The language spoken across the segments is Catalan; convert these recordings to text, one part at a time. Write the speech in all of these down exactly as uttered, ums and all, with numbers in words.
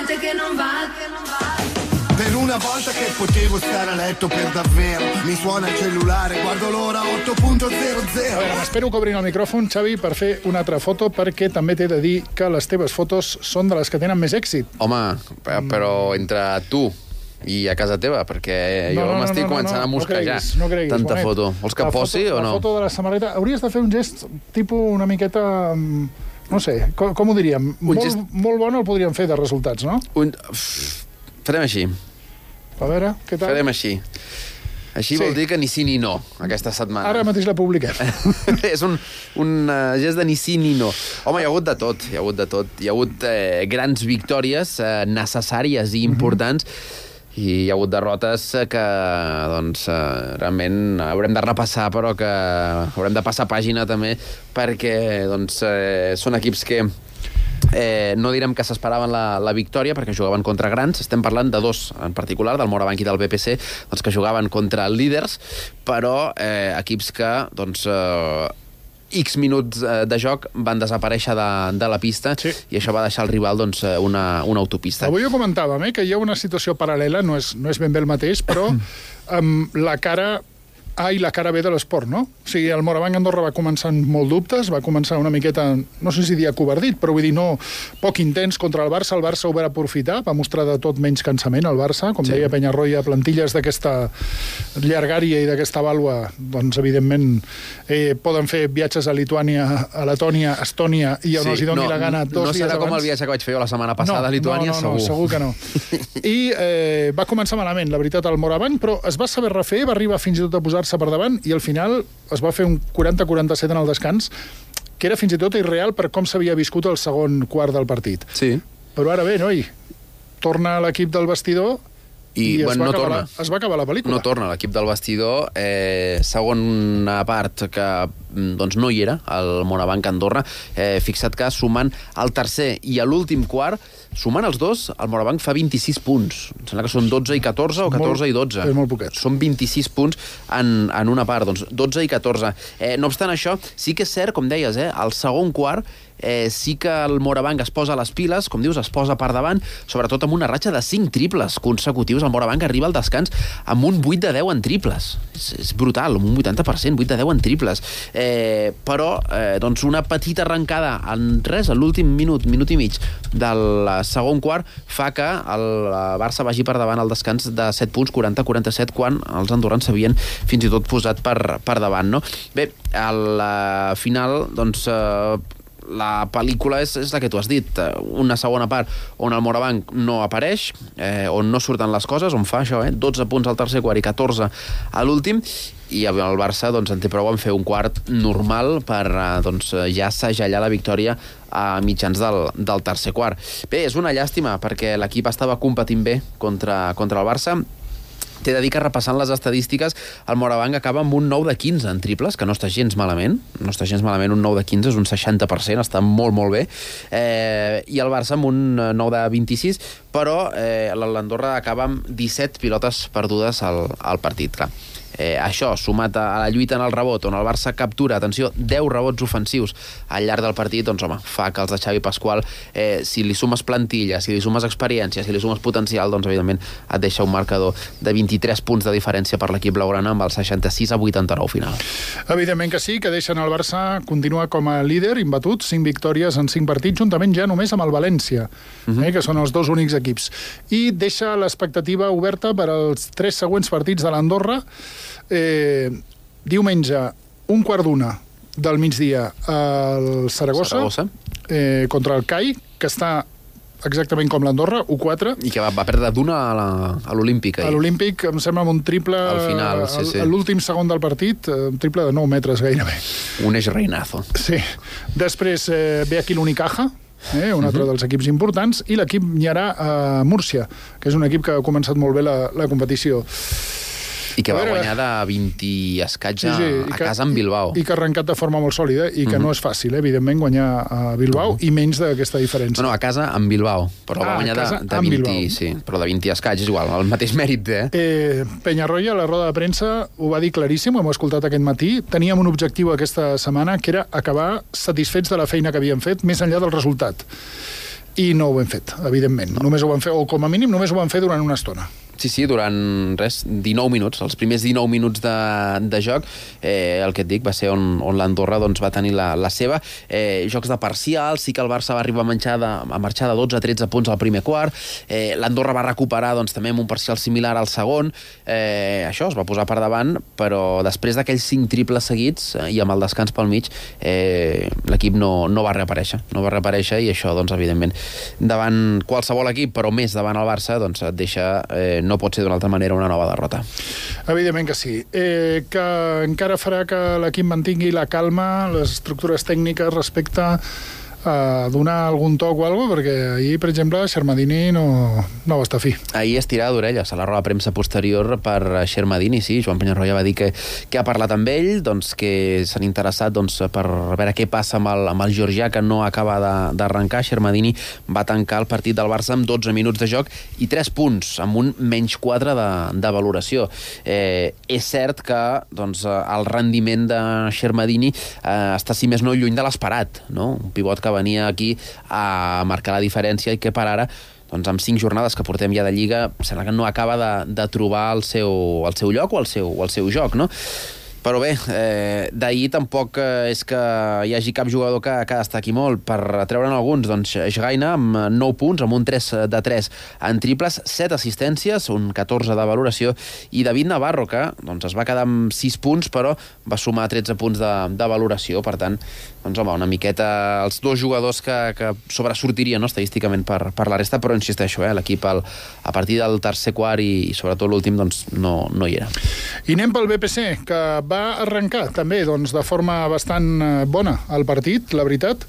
volte che non va, che non va. Per una volta che potevo stare a letto per davvero, mi suona il cellulare, guardo l'ora otto punto zero zero. A veure, m'espero que obrin el micròfon, Xavi, per fer una altra foto, perquè també t'he de dir que les teves fotos són de les que tenen més èxit. Home, però entre tu i a casa teva, perquè jo No, no, m'estic no, no, començant no, a mosquejar. No creguis, no creguis, tanta Bonet. foto. Vols que La posi foto, o no? La foto de la samarreta... Hauries de fer un gest tipus una miqueta... mm, No sé, com, com ho diríem? Molt, gest- molt bon el podríem fer de resultats, no? Un... Farem així. A veure, què tal? Farem així. Així Sí. vol dir que ni sí ni no, aquesta setmana. Ara mateix la publiquem. És un, un uh, gest de ni sí ni no. Home, hi ha hagut de tot, hi ha hagut de tot. Hi ha hagut eh, grans victòries eh, necessàries i importants, mm-hmm. i hi ha hagut derrotes que, doncs, eh, realment haurem de repassar, però que haurem de passar pàgina també, perquè, doncs, eh, són equips que Eh, no direm que s'esperaven la, la victòria perquè jugaven contra grans, estem parlant de dos en particular, del Morabanc i del B P C, doncs, que jugaven contra líders, però eh, equips que doncs, eh, X minuts eh, de joc van desaparèixer de, de la pista, sí. I això va deixar al rival doncs, una, una autopista. Avui ho comentàvem, eh, que hi ha una situació paral·lela, no és, no és ben bé el mateix, però amb la cara A i la cara B de l'esport, no? O sigui, el Morabanc Andorra va començar amb molt dubtes, va començar una miqueta, no sé si dir acovardit, però vull dir, no, poc intens contra el Barça. El Barça ho va aprofitar, va mostrar de tot menys cansament el Barça, com sí. deia Penyarroia, plantilles d'aquesta llargària i d'aquesta vàlua, doncs, evidentment, eh, poden fer viatges a Lituània, a Letònia, a Estònia, i on sí. els hi doni no, la gana dos no dies abans. No serà com el viatge que vaig fer jo la setmana passada no, a Lituània, no, no, no, segur. segur que no. I eh, va començar malament, la veritat, el Morabanc, però es va saber refer, va arribar fins i tot a posar per davant i al final es va fer un quaranta quaranta-set en el descans, que era fins i tot irreal per com s'havia viscut el segon quart del partit. Sí. Però ara bé, noi, torna l'equip del vestidor i, i bueno, es, va no torna. La, es va acabar la pel·lícula. No torna l'equip del vestidor. Eh, segona part que doncs, no hi era, el Morabanc Andorra. Eh, fixa't que sumant el tercer i a l'últim quart, sumant els dos, el Morabanc fa vint-i-sis punts. Em sembla que són dotze i catorze o catorze molt, i dotze. És molt poquet. Són vint-i-sis punts en, en una part, doncs dotze i catorze. Eh, no obstant això, sí que és cert, com deies, eh, el segon quart eh, sí que el Morabanc es posa a les piles, com dius, es posa per davant, sobretot amb una ratxa de cinc triples consecutius. El Morabanc arriba al descans amb un vuit de deu en triples. És, és brutal, amb un vuitanta per cent, vuit de deu en triples. Eh, però, eh, doncs, una petita arrencada en res, a l'últim minut, minut i mig del segon quart, fa que el Barça vagi per davant al descans de set punts, quaranta a quaranta-set, quan els andorrans s'havien fins i tot posat per, per davant, no? Bé, al final, doncs, eh, la pel·lícula és, és la que tu has dit, una segona part on el Morabanc no apareix, eh, on no surten les coses, on fa això, eh, dotze punts al tercer quart i catorze a l'últim, i el Barça doncs, en té prou en fer un quart normal per doncs, ja segellar la victòria a mitjans del, del tercer quart. Bé, és una llàstima, perquè l'equip estava competint bé contra, contra el Barça. T'he de dir que repassant les estadístiques, el Morabanc acaba amb un nou de quinze en triples, que no està gens malament, no està gens malament, un nou de quinze és un seixanta per cent, està molt, molt bé, eh, i el Barça amb un nou de vint-i-sis, però eh, l'Andorra acaba amb disset pilotes perdudes al, al partit, clar. Eh, això, sumat a la lluita en el rebot, on el Barça captura, atenció, deu rebots ofensius al llarg del partit, doncs home, fa que els de Xavi Pasqual, eh, si li sumes plantilla, si li sumes experiència, si li sumes potencial, doncs evidentment et deixa un marcador de vint-i-tres punts de diferència per l'equip blaugrana amb el seixanta-sis a vuitanta-nou final. Evidentment que sí, que deixen el Barça continuar com a líder, imbatut, cinc victòries en cinc partits, juntament ja només amb el València, uh-huh. eh, que són els dos únics equips. I deixa l'expectativa oberta per als tres següents partits de l'Andorra. Eh, diumenge, un quart d'una del migdia al Saragossa, Saragossa. Eh, contra el C A I, que està exactament com l'Andorra, u quatre. I que va, va perdre d'una a l'Olímpic. A l'Olímpic, em sembla, amb un triple al final, sí, sí. A l'últim segon del partit, un triple de nou metres gairebé. Un eix reinazo. Sí. Després eh, ve aquí l'Unicaja, eh, un altre uh-huh. dels equips importants, i l'equip Nyarà a Múrcia, que és un equip que ha començat molt bé la, la competició. I que va veure, guanyar de vint i escaig sí, sí, a que, casa en Bilbao. I, I que ha arrencat de forma molt sòlida i que uh-huh. no és fàcil, eh, evidentment, guanyar a Bilbao uh-huh. i menys d'aquesta diferència. No, no, a casa en Bilbao, però ah, va guanyar de, de vint, sí, però de vint i escaig, és igual, el mateix mèrit, eh? eh Penyarroia, a la roda de premsa, ho va dir claríssim, ho hem escoltat aquest matí. Teníem un objectiu aquesta setmana, que era acabar satisfets de la feina que havíem fet, més enllà del resultat. i no ho hem fet, evidentment. No. Només ho vam fer, o com a mínim només ho vam fer durant una estona. Sí, sí, durant, res, dinou minuts, els primers dinou minuts de, de joc, eh, el que et dic, va ser on, on l'Andorra doncs, va tenir la, la seva. Eh, jocs de parcial, sí que el Barça va arribar a, menjar de, a marxar de dotze a tretze punts al primer quart, eh, l'Andorra va recuperar doncs, també amb un parcial similar al segon, eh, això es va posar per davant, però després d'aquells cinc triples seguits eh, i amb el descans pel mig, eh, l'equip no, no va reaparèixer, no va reaparèixer i això, doncs, evidentment, davant qualsevol equip, però més davant el Barça, doncs, et deixa... Eh, no pot ser d'una altra manera una nova derrota. Evidentment que sí. Eh, que encara farà que l'equip mantingui la calma, les estructures tècniques respecte a donar algun toc o alguna cosa, perquè ahir, per exemple, Xermadini no, no va estar fi. Ahir es tirava d'orelles a la roda de premsa posterior per Xermadini, sí, Joan Penyarroia va dir que, que ha parlat amb ell, doncs, que s'han interessat doncs, per veure què passa amb el, amb el georgià, que no acaba d'arrencar. Xermadini va tancar el partit del Barça amb dotze minuts de joc i tres punts, amb un menys quatre de, de valoració. Eh, és cert que doncs, el rendiment de Xermadini eh, està, si més no, lluny de l'esperat, no? Un pivot que venia aquí a marcar la diferència i que per ara, doncs amb cinc jornades que portem ja de Lliga, sembla que no acaba de, de trobar el seu, el seu lloc o el seu, o el seu joc, no? Però bé, eh, d'ahir tampoc eh, és que hi hagi cap jugador que, que destaqui molt. Per treure'n alguns, doncs, Schreiner amb nou punts, amb un tres de tres en triples, set assistències, un catorze de valoració, i David Navarro, que doncs, es va quedar amb sis punts, però va sumar tretze punts de, de valoració. Per tant, doncs, home, una miqueta els dos jugadors que, que sobresortirien, no, estadísticament per, per la resta, però insisteixo, eh, l'equip a partir del tercer quart i, i sobretot l'últim, doncs, no, no hi era. I anem pel B P C, que va va arrencar també doncs, de forma bastant bona el partit, la veritat.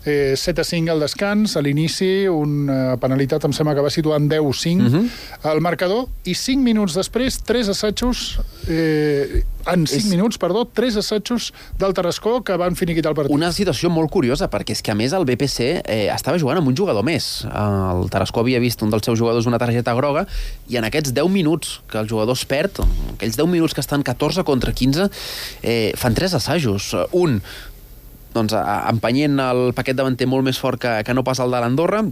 Eh, set a cinc al descans, a l'inici, una penalitat em sembla que va situar en deu a cinc uh-huh. al marcador, i cinc minuts després, tres assajos, eh, en cinc és... minuts, perdó, tres assajos del Tarascó que van finiquitar el partit. Una situació molt curiosa, perquè és que a més el B P C eh, estava jugant amb un jugador més. El Tarascó havia vist un dels seus jugadors una targeta groga, i en aquests deu minuts que el jugador es perd, aquells deu minuts que estan catorze contra quinze, Eh, fan tres assajos. Un, doncs, empenyent el paquet davanter molt més fort que, que no pas el de l'Andorra,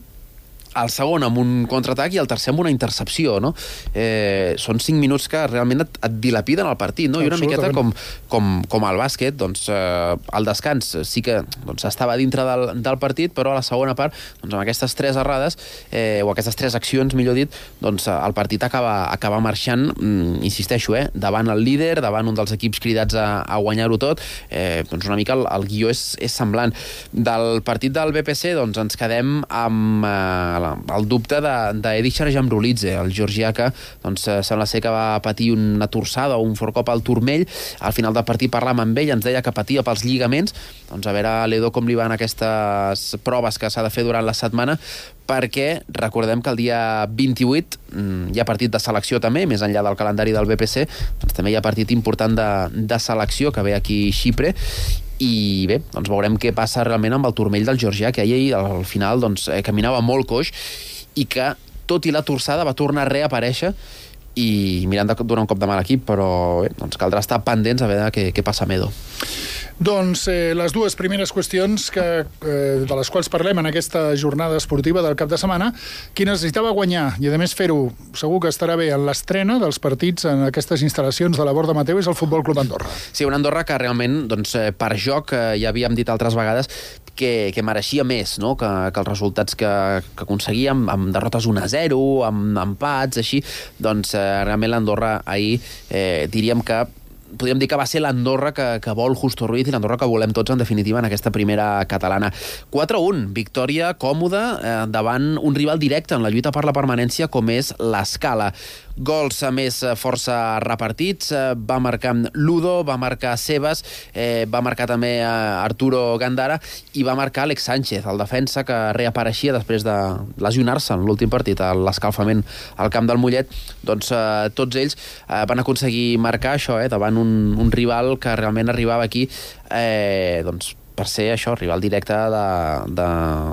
el segon amb un contraatac i el tercer amb una intercepció, no? Eh, són cinc minuts que realment et, et dilapiden el partit, no? I una miqueta com, com, com el bàsquet, doncs, eh, el descans sí que doncs, estava dintre del, del partit, però a la segona part, doncs, amb aquestes tres errades, eh, o aquestes tres accions, millor dit, doncs, el partit acaba, acaba marxant, mm, insisteixo, eh, davant el líder, davant un dels equips cridats a, a guanyar-ho tot, eh, doncs una mica el, el guió és, és semblant. Del partit del B P C, doncs, ens quedem amb eh, el dubte d'Edi Xarjamrulidze, el georgià que doncs, sembla ser que va patir una torçada o un fort cop al turmell. Al final del partit parlàvem amb ell, ens deia que patia pels lligaments. Doncs a veure a l'Edo com li van aquestes proves que s'ha de fer durant la setmana, perquè recordem que el dia vint-i-vuit hi ha partit de selecció també, més enllà del calendari del B P C, doncs també hi ha partit important de, de selecció que ve aquí a Xipre. I bé, doncs veurem què passa realment amb el turmell del georgià, que ahir al final doncs, eh, caminava molt coix i que, tot i la torçada, va tornar a reaparèixer i mirant de donar un cop de mà a l'equip, però bé, doncs caldrà estar pendents a veure què, què passa amb Edo. Doncs eh, les dues primeres qüestions que, eh, de les quals parlem en aquesta jornada esportiva del cap de setmana, qui necessitava guanyar i a més fer-ho segur que estarà bé en l'estrena dels partits en aquestes instal·lacions de la Borda Mateu és el Futbol Club Andorra. Sí, un Andorra que realment doncs, per joc, eh, ja havíem dit altres vegades que, que mereixia més, no? que, que els resultats que, que aconseguíem amb derrotes un a zero, amb empats, així, doncs eh, realment l'Andorra ahir eh, diríem que podríem dir que va ser l'Andorra que, que vol Justo Ruiz i l'Andorra que volem tots, en definitiva, en aquesta primera catalana. quatre a un, victòria còmoda eh, davant un rival directe en la lluita per la permanència com és l'Escala. Gols, a més, força repartits. Eh, va marcar Ludo, va marcar Sebas, eh, va marcar també eh, Arturo Gandara i va marcar Alex Sánchez, el defensa que reapareixia després de lesionar-se en l'últim partit, a l'escalfament al camp del Mollet. Doncs eh, tots ells eh, van aconseguir marcar això, eh, davant un, un rival que realment arribava aquí eh, doncs, per ser això, rival directe de, de,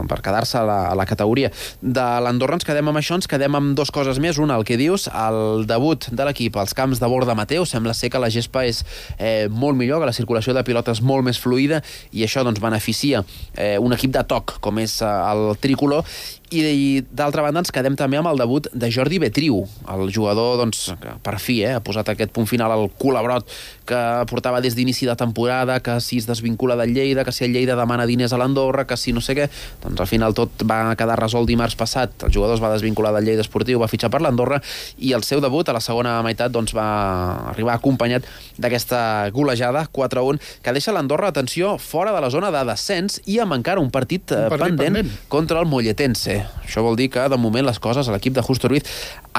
per quedar-se a, la, a la categoria. De l'Andorra ens quedem amb això, ens quedem amb dues coses més. Una, el que dius, el debut de l'equip als camps de Borda Mateu, sembla ser que la gespa és eh, molt millor, que la circulació de pilotes molt més fluida, i això doncs beneficia eh, un equip de toc com és eh, el tricolor, I, i d'altra banda ens quedem també amb el debut de Jordi Betriu, el jugador doncs, que per fi eh, ha posat aquest punt final al culabrot que portava des d'inici de temporada, que si es desvincula del Lleida, que si el Lleida demana diners a l'Andorra, que si no sé què, doncs al final tot va quedar resolt dimarts passat, el jugador es va desvincular del Lleida Esportiu, va fitxar per l'Andorra i el seu debut a la segona meitat doncs, va arribar acompanyat d'aquesta golejada quatre a un, que deixa l'Andorra, atenció, fora de la zona de descens i amb encara un partit, un partit pendent, pendent contra el Molletense. Això vol dir que, de moment, les coses a l'equip de Justo Ruiz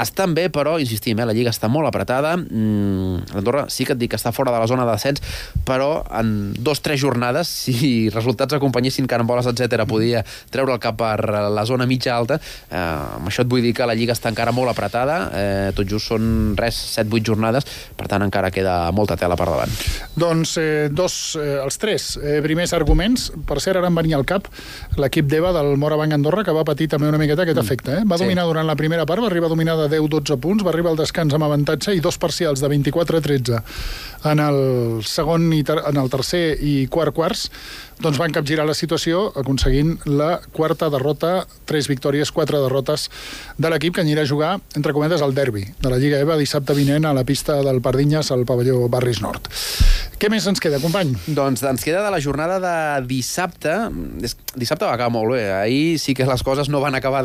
estan bé, però, insistim, eh, la Lliga està molt apretada. Mm, L'Andorra sí que et dic que està fora de la zona de descens, però en dos, tres jornades, si resultats acompanyessin caramboles, etcètera, podia treure el cap per la zona mitja alta. Eh, amb això et vull dir que la Lliga està encara molt apretada. Eh, tot just són, res, set vuit jornades, per tant, encara queda molta tela per davant. Doncs eh, dos, eh, els tres eh, primers arguments, per cert, ara em venia al cap l'equip d'Eva del Morabanc Andorra, que va patir també una miqueta aquest efecte. Eh? Va sí. dominar durant la primera part, va arribar a dominar de deu dotze punts, va arribar al descans amb avantatge i dos parcials de vint-i-quatre a tretze en el segon i ter en el tercer i quart quarts, doncs van capgirar la situació aconseguint la quarta derrota, tres victòries, quatre derrotes de l'equip que anirà a jugar, entre cometes, al derbi de la Lliga EVA dissabte vinent a la pista del Pardinyes al pavelló Barris Nord. Què més ens queda, company? Doncs ens queda de la jornada de dissabte. Dissabte va acabar molt bé. Ahir sí que les coses no van acabar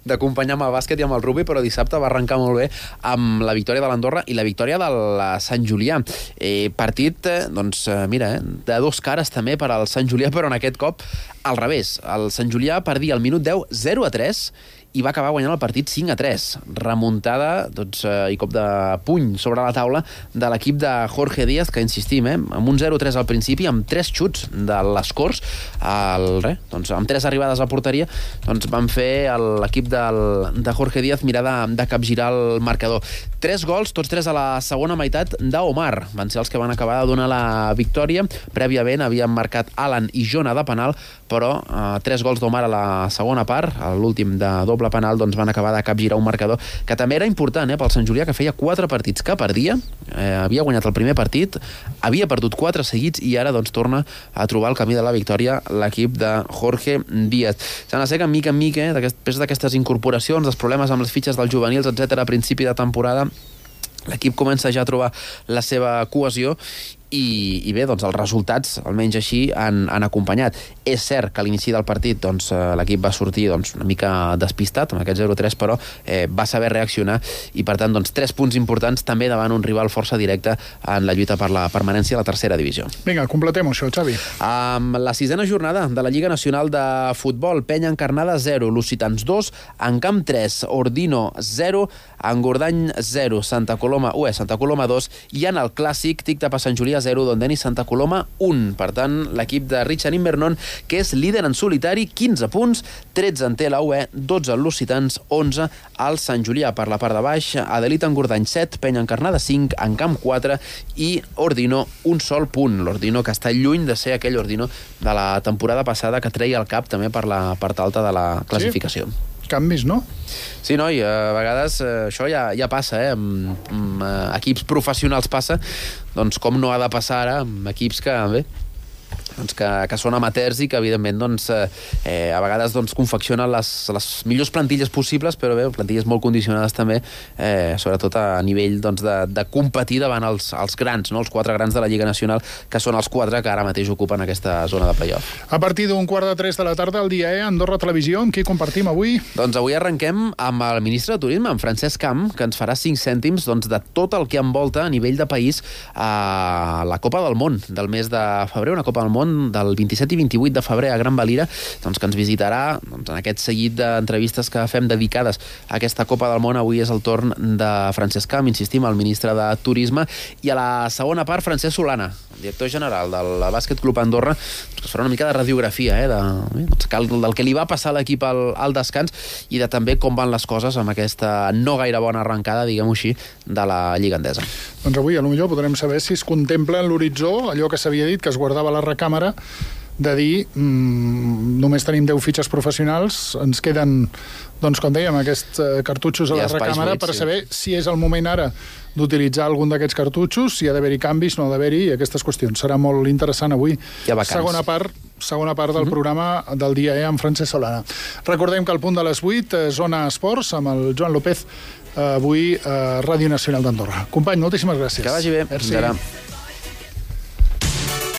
d'acompanyar amb el bàsquet i amb el rugby, però dissabte va arrencar molt bé amb la victòria de l'Andorra i la victòria del Sant Julià. Eh, partit, doncs, mira, eh, de dos cares també per al Sant Julià, però en aquest cop al revés. El Sant Julià perdia al minut deu zero a tres i va acabar guanyant el partit cinc a tres. Remuntada doncs, eh, i cop de puny sobre la taula de l'equip de Jorge Díaz, que insistim, eh, amb un zero a tres al principi, amb tres xuts de les Corts, el, re, doncs, amb tres arribades a porteria, doncs van fer l'equip de Jorge Díaz mirar de, de capgirar el marcador. Tres gols, tots tres a la segona meitat d'Omar. Van ser els que van acabar de donar la victòria. Prèviament havien marcat Alan i Jona de penal, però eh, tres gols d'Omar a la segona part, a l'últim de doble penal, doncs van acabar de capgirar un marcador que també era important eh, pel Sant Julià, que feia quatre partits que perdia, eh, havia guanyat el primer partit, havia perdut quatre seguits i ara doncs torna a trobar el camí de la victòria l'equip de Jorge Díaz. Sembla ser que mica en mica, eh, després d'aquestes incorporacions, dels problemes amb les fitxes dels juvenils, etcètera, a principi de temporada, l'equip comença ja a trobar la seva cohesió i, i bé, doncs els resultats, almenys així, han, han acompanyat. És cert que a l'inici del partit doncs, l'equip va sortir doncs, una mica despistat, amb aquest zero a tres, però eh, va saber reaccionar i, per tant, doncs, tres punts importants també davant un rival força directe en la lluita per la permanència a la tercera divisió. Vinga, completem això, Xavi. Amb la sisena jornada de la Lliga Nacional de Futbol, Penya Encarnada zero, Lusitans dos, Encamp tres, Ordino zero, Engordany zero, Santa Coloma u, Santa Coloma dos, i en el clàssic Tic Tapa Sant Julià zero, Dondeni Santa Coloma un. Per tant, l'equip de Richard Invernon, que és líder en solitari, quinze punts, tretze en té la U E, dotze el Lusitans, onze al Sant Julià. Per la part de baix, Adelit Engordany set, Penya Encarnada cinc, Encamp quatre i Ordino un sol punt. L'Ordino que està lluny de ser aquell Ordino de la temporada passada que treia el cap també per la part alta de la classificació. Sí? Canvis, no? Sí, noi, a vegades eh, això ja, ja passa, eh? Amb, amb eh, equips professionals passa, doncs com no ha de passar ara amb equips que, bé, doncs que, que són amateurs i que, evidentment, doncs, eh, a vegades doncs, confeccionen les, les millors plantilles possibles, però bé, plantilles molt condicionades també, eh, sobretot a nivell doncs, de, de competir davant els, els grans, no? Els quatre grans de la Lliga Nacional, que són els quatre que ara mateix ocupen aquesta zona de play-off. A partir d'un quart de tres de la tarda, el dia E, Andorra Televisió, amb qui compartim avui? Doncs avui arrenquem amb el ministre de Turisme, amb Francesc Camp, que ens farà cinc cèntims doncs, de tot el que envolta a nivell de país a la Copa del Món del mes de febrer, una Copa del Món del vint-i-set i vint-i-vuit de febrer a Gran Valira, doncs, que ens visitarà doncs, en aquest seguit d'entrevistes que fem dedicades a aquesta Copa del Món. Avui és el torn de Francesc Camp, insistim, el ministre de Turisme, i a la segona part Francesc Solana, director general del Bàsquet Club Andorra, que es farà una mica de radiografia eh, de, doncs, del que li va passar a l'equip al, al descans i de també com van les coses amb aquesta no gaire bona arrencada, diguem-ho així, de la Lliga Endesa. Doncs avui, potser podrem saber si es contempla en l'horitzó allò que s'havia dit, que es guardava a la recàmera, de dir mmm, només tenim deu fitxes professionals, ens queden, doncs com dèiem, aquests eh, cartutxos a la recàmera per saber si és el moment ara d'utilitzar algun d'aquests cartutxos, si ha d'haver-hi canvis, no ha d'haver-hi, aquestes qüestions. Serà molt interessant avui. Hi ha vacants. Segona part, segona part del programa del dia E amb Francesc Solana. Recordem que al punt de les vuit, Zona Esports, amb el Joan López, avui a Ràdio Nacional d'Andorra. Company, moltíssimes gràcies. Que vagi bé. Merci. Fins ara.